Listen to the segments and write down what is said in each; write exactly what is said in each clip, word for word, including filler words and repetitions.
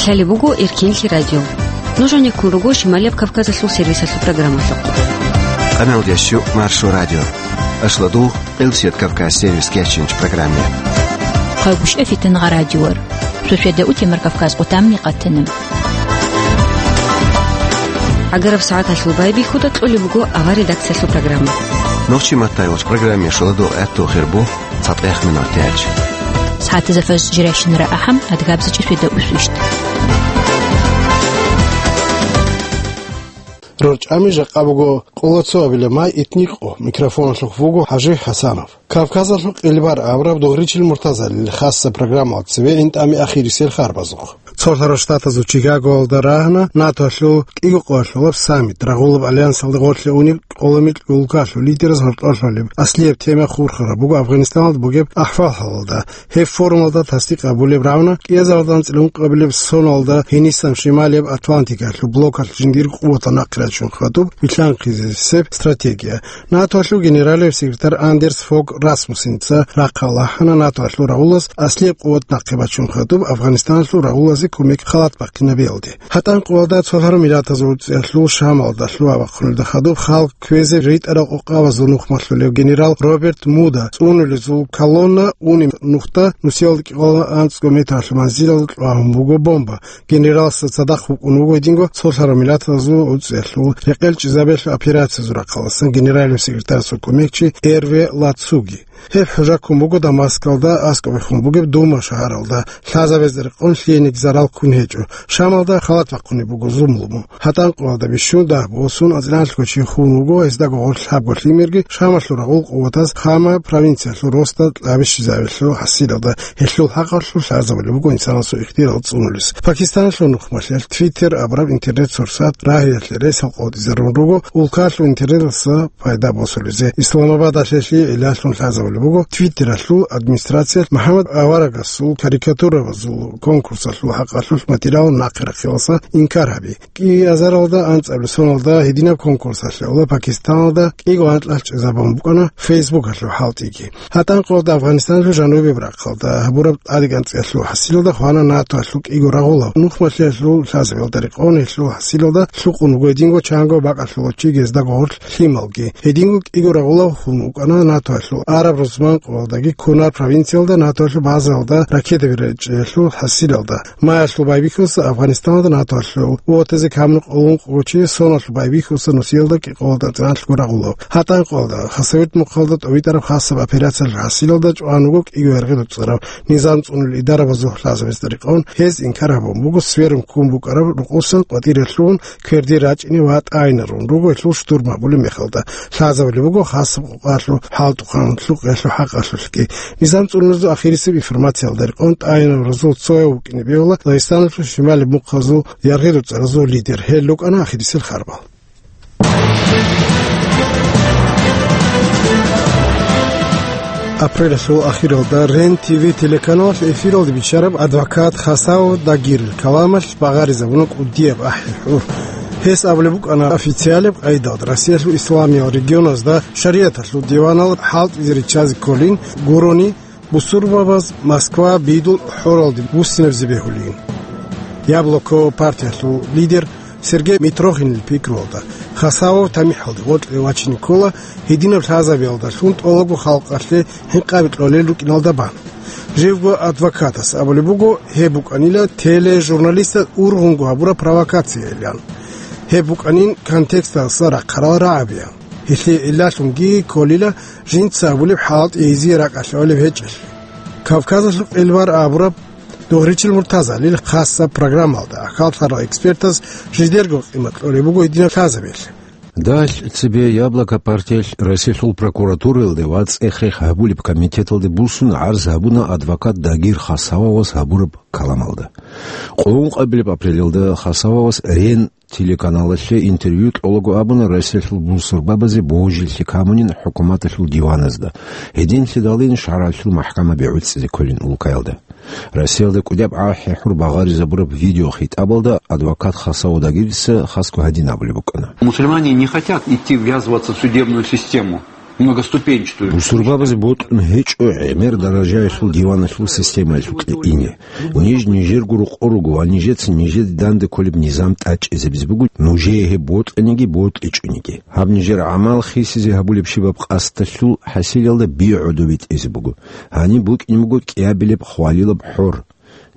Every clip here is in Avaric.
Лъалеб буго Эркенлъи радио. Нуж гьанеккун руго Шималияб Кавказалъул сервисалъул программалъухъ. Къаналдящу Маршо радио. Ашладугъ Къилсият Кавказ сервис кечинч программе. Хъагушев Фитангъа радиор. Шошеда утемар Кавказ къутамни къатана. ГӀагараб сагӀаталъул байбихьуда кьолеб буго авар редакциялъул программа. Нохчи маттай вач программе шуладугъ гӀатту хирбу. ЦатӀехъ минутач. СагӀатазда фажр жирайщинара ахӀам, адгабзачӀи светда усвищ. РорчӀами жакъа буго къоло цо абила май итни къо. Микрофоналъухъ вуго ХӀажи ХӀасанов. Кавказалъул къилбар абураб Дугъричил Муртазалил хасса программал цеве интӀами ахирисел харбазухъ. Цолъарал Штатазул Чикагоялда рагьана НАТОлъул кӀиго къоялъулаб саммит, рагъулаб альянсалда гъорлъе унеб къоло микьулкалъул лидераз гьоркьорлъулеб аслияб тема хурхараб буго Афганистаналда бугеб ахӀвал-хӀалалда. Гьеб форумалда тасдикъ гьабулеб равна кӀиазардан цӀилун къабилеб соналда гьенисан Шималияб Атлантикалъул блокалъ жиндир къуватал нахъе рачун хадуб вилълъанхъизесеб стратегия. НАТОлъул генералияб секретарь Андерс Фог Расмуссенца рахъал ахӀана НАТОлъул рагъулаз аслияб къуват нахъе бачун хадуб Афганистаналъул рагъулазе кумек халат бахъинабиялде. ГьатӀан къоялда цолъарал миллатазул цӀиялъул Шамалда лъугьа-бахъуналда хадуб халкъ кквезе ритӀарал къокъабазул нухмалъулев генерал Роберт Муда цӀунулезул колонна унеб нухда нусиялда кӀикъоялда анцӀго метралъул манзилалда кьвагьун буго бомба. Генераласда цадахъ вукӀун вуго гьединго цолъарал миллатазул цӀиялъул рекъел чӀезабиялъул операциязул рахъаласан генеральный секретарасул кумекчи Эрве Лацуги. Гьеб хӀужа ккун буго Дамаскалда аскӀобехун бугеб Дума шагьаралда, лъазабазда рекъон лъиениги зарал ккун гьечӀо. Шамалда халат бахъунеб буго зулму. ГьатӀан къоялда бищун дагь босун анцӀила чи хун вуго, гьездаго гъорлъ лъабго лъимерги Шамалъул рагъул къуватаз Хама провинциялъул росда кьабищизабилъул хӀасилалда, гьелъул хӀакъалъулъ лъазабулеб буго инсанасул ихтияр цӀунулес. Пакистаналъул нухмалъиялъ Twitter абураб интернет-сурсат рагьиялъе ресал къотӀизарун руго улкалъул интернеталъа пайда босулезе. Исламабадалъе гьелъие гӀиллалъун лъазабулеб буго Твиттералъул администрациялъ МухӀаммад аварагасул карикатурабазул конкурсалъул хӀакъалъулъ материал нахъе рахъиялдаса инкар гьаби. КӀиазаралда анцӀабилеб соналда гьединаб конкурсалъе Пакистаналда кӀиго анкьалъ чӀезабун букӀана Фейсбукалъул хӀалтӀиги. ГьатӀан къоялда Афганистаналъул жанубияб рахъалда гьабураб тӀадегӀанцӀиялъул хӀасилалда хвана НАТОалъул кӀиго рагъулав нухмалъиялъул лъазабиялда рекъон, гьелъул хӀасилалда лъукъун вуго гьединго чанго бакӀалъулав чи, гьездаго гъорлъ лъималги. Гьединго кӀиго рагъулав хун вукӀана НАТОалъул араб-рузман къоялдаги Кунар провинциялда НАТОалъул базаялда ракетаби речӀчӀиялъул хӀасилалда. Маялъул байбихьуса Афганистаналда НАТОалъул вотазе камун къоло ункъо чи, соналъул байбихьуса нусиялда кӀикъоялда анцӀила рагъулав. ГьатӀан къоялда Хасавюрт мухъалда тӀовитӀараб хасаб операциялъул хӀасилалда чӀван вуго кӀиго яргъи доцӀарав, низам цӀунулел идарабазул лъазабазда рекъон, гьез инкар гьабун буго сверун ккун букӀараб рукъосан къватӀире лъугьун, кверде рачӀине ва тӀагӀинарун руго гьелъул штурм гьабулеб мехалда. Лъазабулеб буго хасаб къокъалъул хӀалтӀухъан лъукъиялъул хӀакъалъулъги. Низам цӀунулезул ахирисеб информациялда рекъон тӀагӀинаразул цояв вукӀине бегьула Дагъистаналъул шималияб мухъазул яргъи доцӀаразул лидер. Гьел рукӀана ахирисел харбал. Апрелалъул ахиралда Рен Т В телеканалалъ эфиралде биччараб адвокат Хасао Дагирил каламалъ багъаризабуна кӀудияб ахӀи-хӀур. Гьес абулеб букӀана официалаб къайдалда Россиялъул исламиял регионазда шаригӀаталъул диванал хӀалтӀизе риччазе кколин гурони, бусурбабаз Москва бидул хӀоралде буссинабизе бегьулин. Яблоко партиялъул лидер Сергей Митрохинил пикруялда, Хасавов тамихӀалде гъоркье вачине ккола гьединаб лъазабиялдалъун тӀолабго халкъалъе гьинкъаби кьолел рукӀиналда бан. Живго адвокатас абулеб буго, гьеб букӀанила тележурналистаз ургъунго гьабураб провокациялъан. Гьеб букӀанин контексталъа рахъарал рагӀабиян. Гьелъие гӀиллалъунги кколила жинца абулеб хӀалтӀи гьезие ракӀалъе гӀолеб гьечӀелъ. Кавказалъул къилбар абураб Дугъричил Муртазалил хасаб программалда хьалхарал экспертаз жидерго къимат кьолеб буго гьединаб лъазабиялъе. Дагь цебе Яблоко партиялъ Россиялъул прокуратураялде ва цӀех-рех гьабулеб комитеталде буссун гӀарз гьабуна адвокат Дагир Хасавовас гьабураб каламалда. Къоло ункъабилеб апрелалда Хасавовас Рен телеканалалъе интервью кьолаго абуна Россиялъул бусурбабазе божилъи камунин хӀукуматалъул диваназда, гьединлъидалин шаргӀалъул махӀкамаби гӀуцӀизе кколин улкаялда. Россиялда кӀудияб ахӀи-хӀур багъаризабураб видеохитӀабалда адвокат Хасавов Дагирица хасго гьадин абулеб букӀана. Мусульмане не хотят идти ввязываться в судебную систему. Многоступенчатую. Бусурбабазе бокьун гьечӀо гӀемер даражаялъул диваналъул системаялъукье ине. Ниж нижерго рокъор руго ва нижеца нижеде данде кколеб низам тӀадчӀезабизе буго, нужее гьеб бокьаниги бокьичӀониги. Гьаб нижер гӀамал хисизе гьабулеб щибаб къасдалъул хӀасилалда би гӀодобе тӀезе буго. Гьаниб букӀине буго кӀиабилеб хвалилаб хӀор.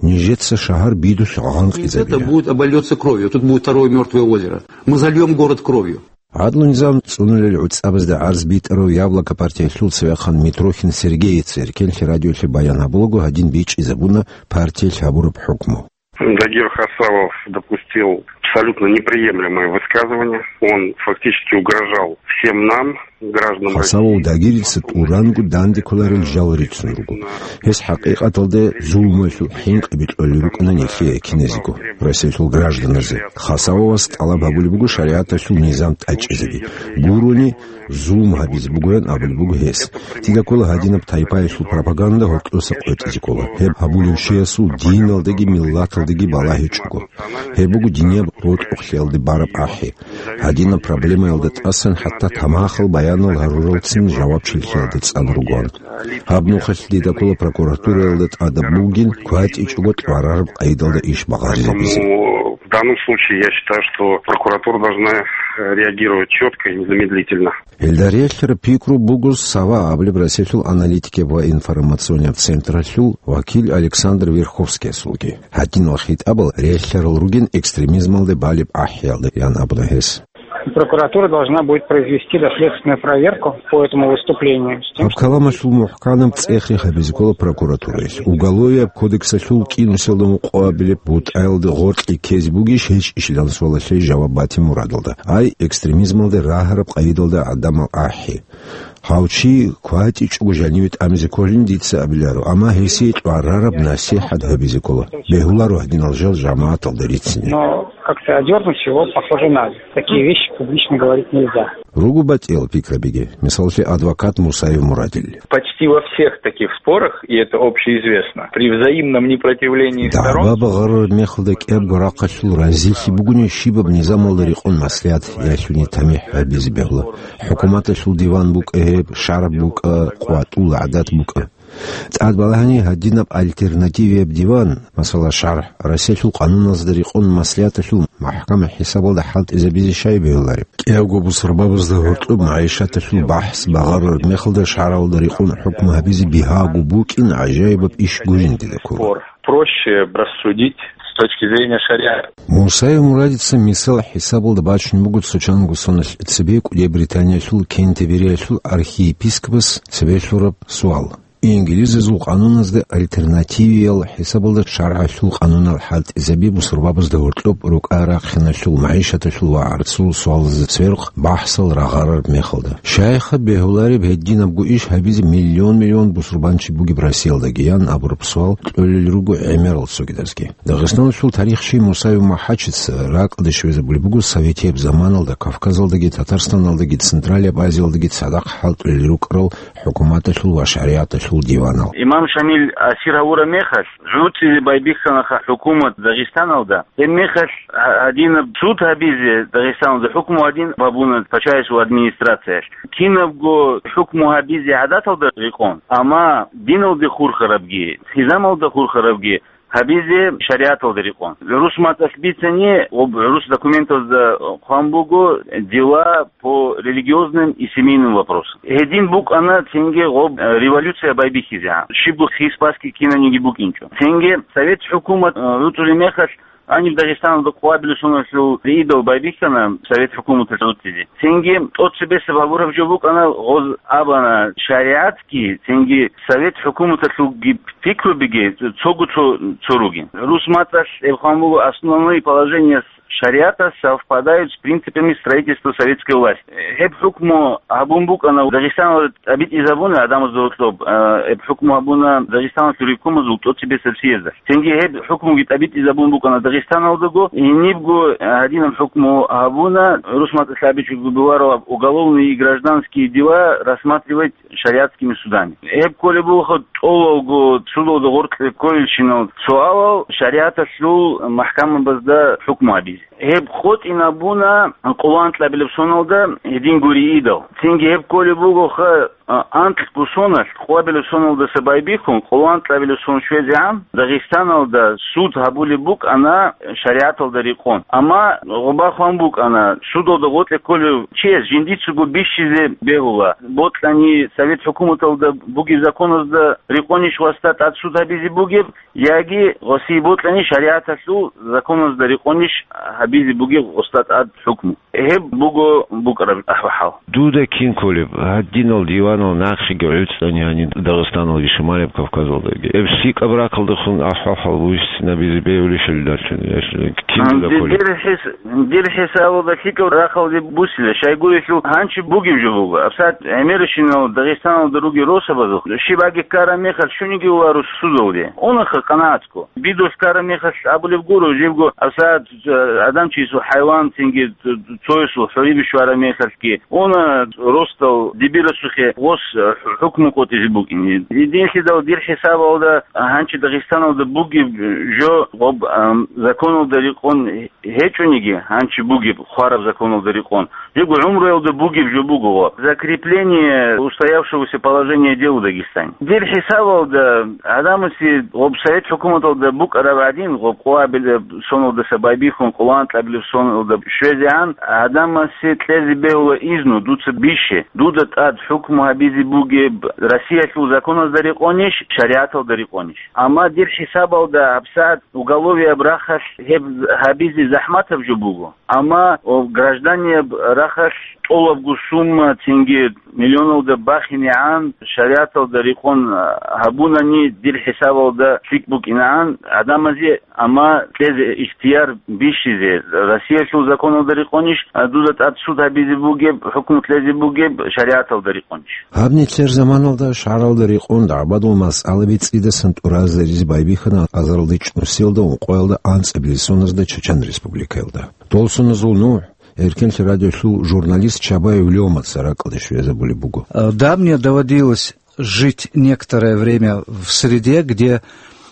Нижеца шагьар бидулъ гъанкъизабила. Это будет, обольётся кровью. Тут будет второе мёртвое озеро. Мы зальём город кровью. ГӀадлу-низам цӀунулел гӀуцӀабазда гӀарз битӀарав Яблоко партиялъул цевехъан Митрохин Сергеец Эркенлъи радиолъе баян гьабулаго гьадин бичӀчӀизабуна партиялъ гьабураб хӀукму. Дагир Хасавов допустил абсолютно неприемлемое высказывание. Он фактически угрожал всем нам, гражданам Хасавов России. Дагирица тӀуранго данде кколарел жал рицун руго. Гьес хӀакъикъаталда зулмуялъул хӀинкъи бикьулел рукӀана нилъее киназего, Россиялъул гражданазе. Хасавовас тӀалаб гьабулеб буго шаригӀаталъул низам тӀадчӀезаби. Гурони, зулм гьабизе бугоян абулеб буго гьес. Дида ккола гьадинаб тайпаялъул пропаганда гьоркьоса къотӀизе ккола. Гьеб гьабулев чиясул диналдаги миллаталдаги балагьичӀого. Гьеб буго динияб рокьухълъиялде бараб ахӀи. Гьадинаб проблемаялда тӀасан хӀатта тамахал баянал гьаруралцин жавабчилъиялда цӀан ругоан. Гьаб нухалъ дида ккола прокуратураялда тӀадаб бугин кватӀичӀого тӀварараб къайдалда иш багъаризабизе. Поэтому в данном случае я считаю, что прокуратура должна, э, реагировать чётко и незамедлительно. Гьелда релълъараб пикру буго Сава абулеб Россиялъул аналитикияб ва информационияб централъул вакил Александр Верховскиясулги. Гьадинал хитӀабал релълъарал ругин экстремизмалде балеб ахӀиялда, ян абуна гьес. Прокуратура должна будет произвести доследственную проверку по этому выступлению. Гьаб каламалъул мухӀканаб цӀех-рех гьабизе ккола прокуратураялъ. Уголовияб кодексалъул кӀинусиялда ункъоабилеб бутӀаялда гъоркье ккезе бугищ гьечӀищилан суалалъе жаваб бати мурадалда. Ай, экстремизмалде рагьараб къайдалда гӀадамал ахӀи. Гьав чи кватӀичӀого жаниве тӀамизе кколин дица абиларо, амма гьесие тӀварараб насихӀат гьабизе ккола. Бегьуларо гьадинал жал жамагӀаталда рицине. Но как-то одёрнуть его, похоже, надо. Такие вещи публично говорить нельзя. Руго батӀиял пикрабиги, мисаллъи, адвокат Мусаев Мурадил. Почти во всех таких спорах, и это общеизвестно, при взаимном непротивлении сторон... ДагӀба багъарараб мехалда кӀиябго рахъалъул разилъи бугони щибаб низамалда рекъон маслигӀат ялъуни тамихӀ гьабизе бегьула. ХӀукуматалъул диван букӀа гьеб, шаргӀ букӀа, къватӀул гӀадат букӀа. ТӀад балагьани гьадинаб альтернативияб диван, масала, шаргӀ, Россиялъул къануналзда рекъон маслигӀаталъул махӀкама хӀисабалда хӀалтӀизабизе щай бегьулареб? КӀиявго бусурбабазда гьоркьоб магӀишаталъул бахӀс багъарулеб мехалда шаргӀалда рекъон хӀукму гьабизе бигьаго букӀин гӀажаибаб иш гурин дида ккола. Спор проще рассудить с точки зрения шариата. Мусаев Мурадица мисал хӀисабалда бачун буго цо чанго соналъ цебе КӀудияб Британиялъул Кентербериялъул архиепископас цебе лъураб суал. Инглизазул къануназда альтернативиял хӀисабалда шаргӀалъул къанунал хӀалтӀизаби бусурбабазда гьоркьоб рукӀа-рахъиналъул, магӀишаталъул ва гӀарцул суалазда церхъ бахӀсал рагъарараб мехалда. Щайха бегьулареб гьединабго иш гьабизе миллион-миллион бусурбанчи бугеб Россиялдаги, ян абураб суал кьолел руго гӀемерал цогидазги. Дагъистаналъул тарихчи Мусаев МухӀаджица ракӀалде щвезабулеб буго советияб заманалда Кавказалдаги, Татарстаналдаги, Централияб Азиялдаги цадахъ хӀалтӀулел рукӀарал хӀукуматалъул ва шаригӀаталъул диванал. Имам Шамил асир гьавураб мехалъ, гӀуцӀизе байбихьанаха хӀукумат Дагъистаналда. Гьеб мехалъ гьа-, гьадинаб суд гьабизе Дагъистаналда хӀукму гьадин бабуна пачаясул администрациялъ. Кинабго хӀукму гьабизе гӀадаталда рекъон, амма диналде хурхарабги, хизамалда хурхарабги гьабизе шаригӀаталда рекъон. ГӀурус мацӀалъ бицани, об-, гӀурус документазда хъван буго дела по религиозным и семейным вопросам. Гьедин букӀана цинги гъоб, э, революция байбихьизегӀан. Щибго хис-басги кинаниги букӀинчӀо. Цинги совет хӀукумат, э, гӀуцӀулеб мехалъ, гьаниб Дагъистаналда къвабилеб соналъул рейдал байбихьана совет хӀукуматалъ гӀуцӀизе. Цинги тӀоцебесеб гьабураб жо букӀана, гъоз абана шаригӀатги, цинги совет хӀукуматалъулги пикрубиги цого цо, цо ругин. ГӀурус мацӀалъ гьеб хъван буго: основные положения шариата совпадают с принципами строительства советской власти. Гьеб хӀукму гьабун букӀана Дагъистаналда тӀабитӀизабуна гӀадамазда гьоркьоб, э, гьеб хӀукму гьабуна Дагъистаналъул ревкомазул тӀоцебесеб съездалъ. Цинги гьеб хӀукмуги тӀабитӀизабун букӀана Дагъистаналда Дагъистаналдаго гьенибго гьадинаб хӀукму гьабуна, рус мацӀалъ абичӀого бувараб, уголовные и гражданские дела рассматривать шариатскими судами. Гьеб кколеб буго тӀолалго судалда гъоркье кколелщинал суалал шаригӀаталъул махкамабазда хӀукму гьабизе. Гьеб къотӀинабуна къоло анкьабилеб соналда гьедин гуриидал. Цинги гьеб кколеб бугоха, а, анкьго соналъ, къоабилеб соналдаса байбихьун, къоло анкьабилеб сон щвезегӀан Дагъистаналда суд гьабулеб букӀана шаригӀаталда рекъон. Амма гъоба хъван букӀана, судалда гъоркье кколев чияс жиндицаго бищизе бегьула, бокьани Совет хӀукуматалда бугеб законазда рекъонищ гъосда тӀад суд гьабизе бугеб, яги гъосие бокьани шаригӀаталъул законазда рекъонищ гьабизе бугеб гъосда тӀад хӀукму. Гьеб буго букӀараб ахӀвал. Дуда кин кколеб, гьадинал диванал нахъеги гӀуцӀани гьаниб Дагъистаналги Шималаб Кавказалдаги? Гьеб лъикӀаб рахъалдехун ахӀвал буссинабизе бегьулищали дарчун, гьелъ кин дуда кколеб? Дир хӀис-, дир хӀисабалда лъикӀаб рахъалде буссила, щайгурелъул гьанчи бугеб жо буго. Абсат гӀемерищинал Дагъистаналда ругел росабазухъ щибаги ккараб мехалъ щуниги варус судалде. Унаха къанагӀат Бидос ккараб мехалъ абулеб гуро, жибго абсагӀат, э, адам чиясул хӀайван цинги цоясул хӀуриб щвараб мехалъги, уна росдал дибирасухъе гъос, э, хӀукму къотӀизе букӀине. Гьединлъидал дир хӀисабалда гьанчи Дагъистаналда бугеб жо гъоб, ам, законалда рекъон гьечӀониги, гьанчи бугеб хвараб законалда рекъон, жего гӀумруялда бугеб жо буго ва закрепление устоявшегося положения дел в Дагестане. Дир хӀисабалда, гӀадамасе гъоб Совет хӀукуматалда букӀараб гӀадин, гъоб къоабилеб соналдаса байбихьун, къоло анкьабилеб соналда щвезегӀан, гӀадамасе кьезе бегьула изну, дуца бище, дуда тӀад хӀукму гьабизе бугеб Россиялъул законазда рекъонищ, шаригӀаталда рекъонищ. Амма дир хӀисабалда гьабсагӀат уголовияб рахъалъ гьеб гьабизе захӀматаб жо буго. Амма, о, гражданияб рахъалъ тӀолабго сумма цинги миллионалда бахинегӀан шаригӀаталда рекъон, а, гьабунани дир хӀисабалда лъикӀ букӀинегӀан гӀадамазе, амма кьезе ихтияр бищизе, Россиялъул законалда рекъонищ, а, дуда тӀад суд гьабизе бугеб, хӀукму кьезе бугеб шаригӀаталда рекъонищ. Гьаб нилъер заманалда шаргӀалда рекъон дагӀбадул масъалаби цӀидасан тӀуразаризе байбихьана азарилда чӀунусиялда ункъоялда анцӀабилеб соназда Чачан Республикаялда. Дол соназул нугӀ Эркенлъи радиолъул журналист Чабаев Лёмаца ракӀалде щвезабулеб буго. Э, да, мне доводилось жить некоторое время в среде, где,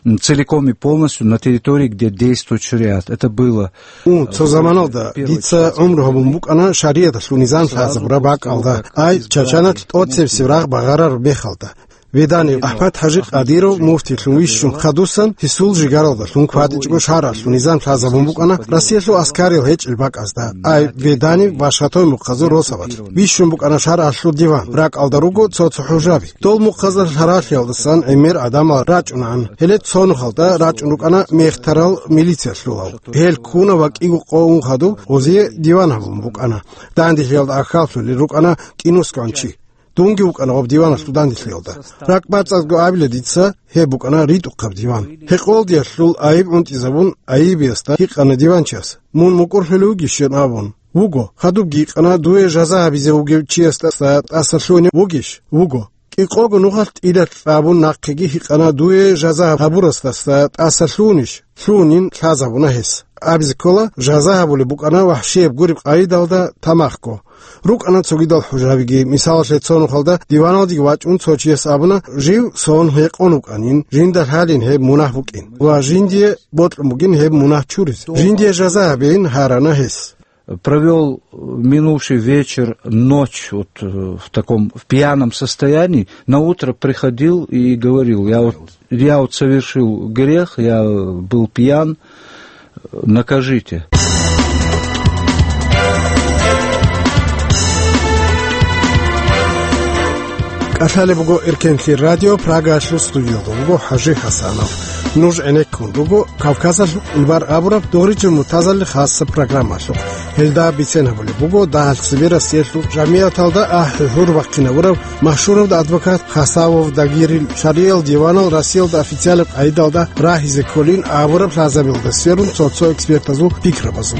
м, целиком и полностью на территории, где действует шариат. Это было, Ун, э, цо заманалда первое дица гӀумру гьабун букӀана шариаталъул низам лъазабураб бакӀалда, ай, Чачаналъ тӀоцебесеб рагъ багъарараб мехалда. Веданев АхӀмад-ХӀажи Къадиров муфтилъун вищун хадусан, гьесул жигаралдалъун кватӀичӀого шаргӀалъул низам лъазабун букӀана Россиялъул аскарил гьечӀел бакӀазда, ай, Веданев ва Шатой мухъазул росабалъ. Вищун букӀана шаргӀалъул диван, ракӀалда руго цо-цо хӀужаби. Дол мухъазда лъаралъиялдасан гӀемер гӀадамал рачӀунаан. Гьеле цо нухалда рачӀун рукӀана мехтарал милициялъулал. Гьел ккуна ва кӀиго къо ун хадуб гъозие диван гьабун букӀана. Дандихъиялда ахьаллъулел рукӀана кӀинусгӀан чи. Дунги вукӀана гъоб диваналъул дандилъиялда. РакӀбацӀцӀадго абила дица, гьеб букӀана ритӀухъаб диван. Гьекъолдиялъул айиб гӀунтӀизабун, айибиясда гьикъана диванчияс: «Мун мукӀурлъулев вугищин?» абун. «Вуго». Хадубги гьикъана: «Дуе жаза гьабизе вугев чиясда тӀаса лъугьунев вугищ?» «Вуго». КӀикъого нухалъ тӀилалъ абун нахъеги гьикъана: «Дуе жаза гьабурасдаса тӀаса лъугьунищ?» Лъугьунин, лъазабуна гьес. Абизе ккола, жаза гьабулеб букӀана вахӀшияб гуреб къайдалда тамахго. РукӀана цогидал хӀужабиги, мисалалъе, цо нухалда диваналдеги вачӀун цо чияс абуна, жив сон гьекъон вукӀанин, жинда лъалин гьеб мунагь букӀин ва жиндие бокьун бугин гьеб мунагь чуризе. Жиндие жаза гьабейин гьарана гьес. Провёл минувший вечер, ночь, вот, э, в таком, в пьяном состоянии. На утро приходил и говорил: «Я вот, я вот совершил грех, я был пьян, накажите». КӀалъалеб буго Эркенлъи радио, Прагаялъул студиялда вуго ХӀажи ХӀасанов. Нуж гӀенеккун руго Кавказалъул кӀилбар абураб Дугъричин муртазалил хасаб программалъухъ. Гьелда бицен гьабулеб буго дагьал цебе Россиялъул жамигӀаталда ахӀи-гьур бахъинабурав машгьурав адвокат Хасавов Дагирил шаргӀиял диванал Россиялда официалаб къайдалда рагьизе кколин абураб лъазабиялда сверун цо-цо экспертазул пикрабазул.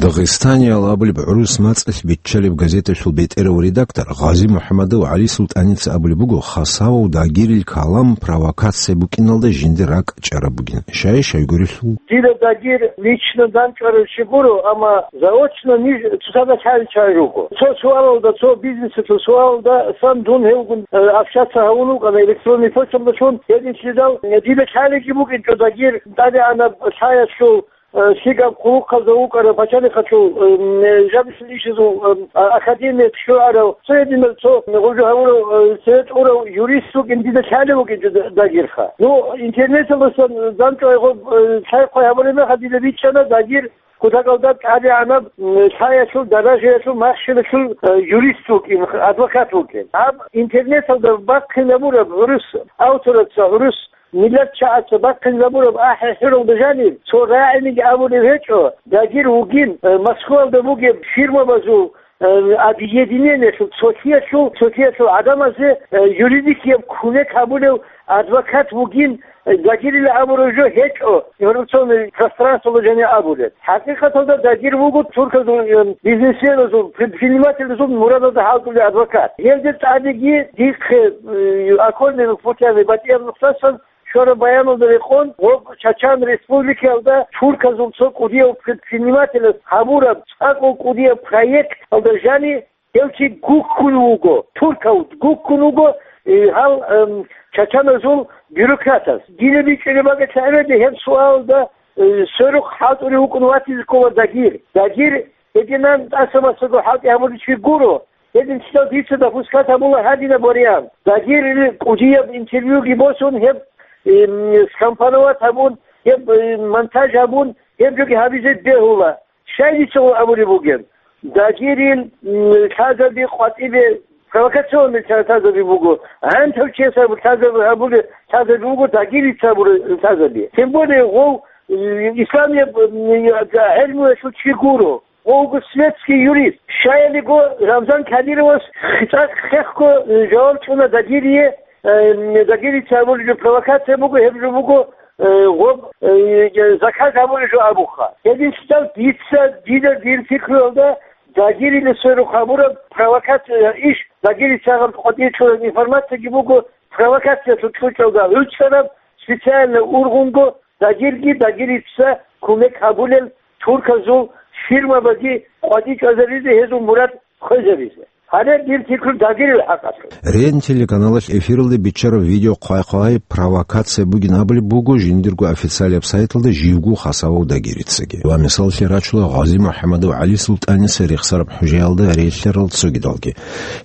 Дагъистаниял абулеб гӀурус мацӀалъ биччалеб газеталъул бетӀерав редактор Гъази МухӀамадов ГӀали СултӀаница абулеб буго, Хасавов Дагирил калам провокация букӀиналда жинда ракӀ чӀараб бугин. Щай-щайгурелъул. Дида Дагир лично данчӀварав чи гуро, амма заочно ниж цоцазда лъалел чагӀи руго. Цо суалалда, цо бизнесалъул суалалда сан дун гьевгун, э, общаться гьавун вукӀана электронный почталдалъун. Гьединлъидал, э, дида лъалелги букӀинчӀо Дагир тӀадегӀанаб лъаялъул, э, лъикӀаб хъулухъазда вукӀарав пачалихъалъул, э, жабилъул ишазул, э, а-, академиялъ щварав, цо гьединав цо гъужу гьавурав, э, цеве тӀурав юрист вукӀин дида лъалев вукӀинчӀо Д-, Дагирха. Ну, интернеталдасан данчӀвай гъоб, э, лъай-хъвай гьабулеб мехалъ дида бичӀчӀана Дагир кутакалда тӀадегӀанаб, м, лъаялъул, даражаялъул, махщелалъул, э, юрист вукӀин, адвокат вукӀин. Гьаб интернеталда бахъинабураб гӀурус автораца, гӀурус миллатчагӀаца бахъинабураб ахӀи-хӀуралда жаниб цо рагӀиниги абулев гьечӀо, Дагир вугин, э, Москвалда бугеб фирмабазул, э, объединениялъул, цолъиялъул, цолъиялъул гӀадамазе, э, юридикияб кумек гьабулев адвокат вугин, Дагирила абураб жо гьечӀо, информационный пространствоялда жаниб абулеб. ХӀакъикъаталда Дагир вуго турказул, э, бизнесменазул, предпринимательзул мурадалда хӀалтӀулев адвокат. Гьелде тӀадеги дихъе, э, окольными путями, батӀияб нухдасан щвараб баяналда рекъон, гъоб Чачан Республикаялда турказул цо кӀудияв предпринимателас гьабураб цӀакъго кӀудияб проекталда жаниб гьев чи гуккун вуго, туркав гуккун вуго, э, гьал, эм, чачаназул бюрократас. Дида бичӀчӀулеб бакӀалъа гӀемерде гьеб суалда, э, сверухъ хӀалтӀулев вукӀун ватизе ккола Дагир. Дагир гьединан тӀаса-масаго хӀалтӀи гьабулев чи гуро. Гьединлъидал дица допускать гьабула гьадинаб вариант. Дагирил кӀудияб интервьюги босун, гьеб, эм, скомпоновать гьабун, гьеб, э, монтаж гьабун, гьеб жоги гьабизе бегьула. Щай дица абулеб бугеб? Дагирил, м, лъазаби къватӀибе провокационный лъа-, лъазаби буго. ГӀантав чияс абу-, лъазаби гьабулеб лъазаби буго, Дагирица абураб лъазаби. Тем более гъов, м, исламияб, м, гӀелмуялъул чи гуро. Гъов вуго светский юрист. Щаялиго Рамзан Кадировас цӀакъ хехго, м, жаваб чӀуна Дагирие, э, м, Дагирица абулеб жо провокация буго, гьеб жо буго, э, гъоб, э, заказ гьабулеб жо абуха. Гьединлъидал дица, дида дир пикруялда, Дагирила сверухъ гьабураб провокация иш, Дагирица гьаб къватӀир чӀураб информацияги буго, провокациялъул чӀучӀалда гӀуцӀараб, специально ургъунго Дагирги Дагирица кумек гьабулел турказул фирмабаги къватӀи чӀвазабизе гьезул мурад хвезабизе. Гьале дир пикру Дагирил хӀакъалъулъ. РЕН телеканалалъ эфиралде биччараб видео хъвай-хъвай провокация бугин абулеб буго жиндирго официалияб сайталда живго Хасавов Дагирицаги. Ва мисаллъи рачула Гъази МухӀамадов ГӀали СултӀаница рехсараб хӀужаялда релълъарал цогидалги.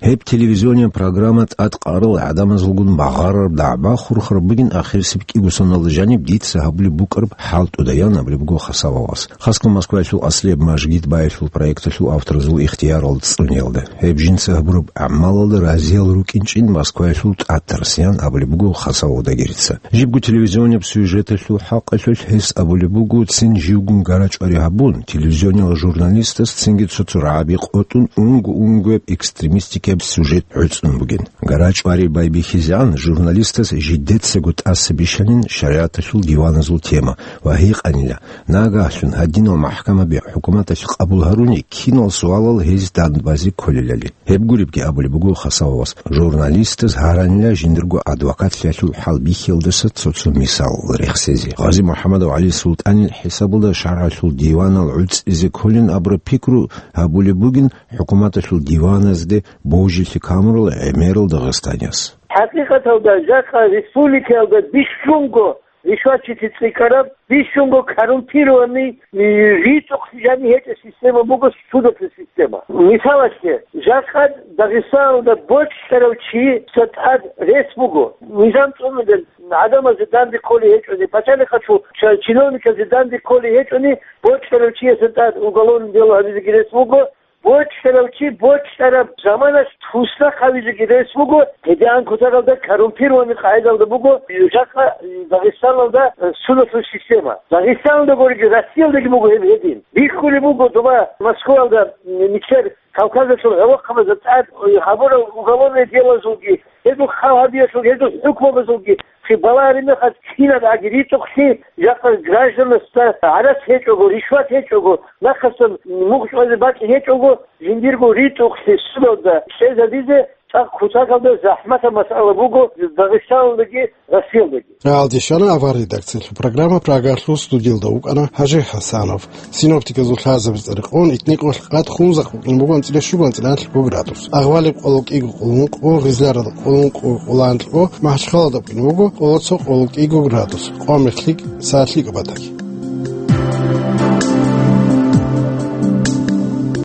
Гьеб телевизионияб программа тӀадкъарал гӀадамазулгун багъарараб дагӀба хурхараб бугин ахирисеб кӀиго соналда жаниб дица гьабулеб букӀараб хӀалтӀуда, ян абулеб буго Хасавовас. Хасго Москваялъул аслияб мажгит баялъул проекталъул авторазул ихтиярал цӀуниялда. Гьеб жинца гьабураб гӀамалалда разиял рукӀинчӀин Москваялъул тӀатарс, ян абулеб буго Хасавов Дагирица. Жибго телевизионияб сюжеталъул хӀакъалъулъ гьес абулеб буго, цин живгун гарачӀвари гьабун, телевизиониял журналистас цинги цо-цо рагӀаби къотӀун унго-унгояб экстремистикаб сюжет гӀуцӀун бугин. ГарачӀвари байбихьизегӀан журналистас жидецаго тӀаса бищанин шаригӀаталъул диваназул тема ва гьикъанила, нагагьлъун гьадинал махӀкамаби хӀукуматалъ къабул гьаруни, кинал суалал гьез данбазе кколелали. Гьеб гуребги абулеб буго Хасавовас, журналистаз гьаранила жиндирго адвокатлъиялъул хӀалбихьиялдаса цо-цо мисал рехсезе. Гъази МухӀамадов ГӀали СултӀанил хӀисабалда шаргӀалъул диванал гӀуцӀизе кколин абураб пикру гьабулеб бугин хӀукуматалъул диваназде божилъи камурал гӀемерал дагъистанияс. ХӀакъикъаталда, жакъа республикаялда бищунго ришватчиси цӀикӀкӀараб, бищунго коррумпированный, э, ритӀухълъи жаниб гьечӀеб система буго судалъул система. Мисалалъе, жакъа Дагъистаналда бочӀарав чиясда тӀад рес буго. Низам цӀунулел гӀадамазе данде кколей гьечӀони, пачалихъалъул ч-, чиновниказе данде кколей гьечӀони, бочӀарав чиясда тӀад уголовный дело гьабизеги рес буго. БочӀарав чи бочӀараб заманалъ туснахъ гьавизеги рес буго, гьедигӀан кутакалда коррумпированный къагӀидалда буго, жакъа Дагъистаналда судалъул система. Дагъистаналда гуриги, Россиялдаги буго гьеб гьедин. Бихьулеб буго доба Москваялда нилъер Кавказалъул гӀолохъабазда тӀад гьабурал уголовный делазулги, гьезул хал гьабиялъул, гьезул хӀукмабазулги Балагьараб мехалъ кинаб аги ритӀухълъи, жакъа гражданасда гӀарац гьечӀого, ришват гьечӀого, нахъасан мугъ чӀвазе бакӀ гьечӀого, жиндирго ритӀухълъи судалда кьезабизе цӀакъ кутакалда захӀматаб масъала буго Дагъистаналдаги Россиялдаги. Гьалдищана авар редакциялъул программа Прагалъул студиялда вукӀана Гьажи ХӀасанов. Синоптиказул лъазабиз рекъон, итникъулъ къад Хунзахъ букӀин буго анцӀила щуго анцӀила анлъго градус. Агъвалиб къоло кӀиго къулункъо, Гъизларалда къулункъо къоло анлъго, Махачхалалда букӀин буго къоло цо къоло кӀиго градус, къо мехлъи, са лъикӀаб батӀалъ.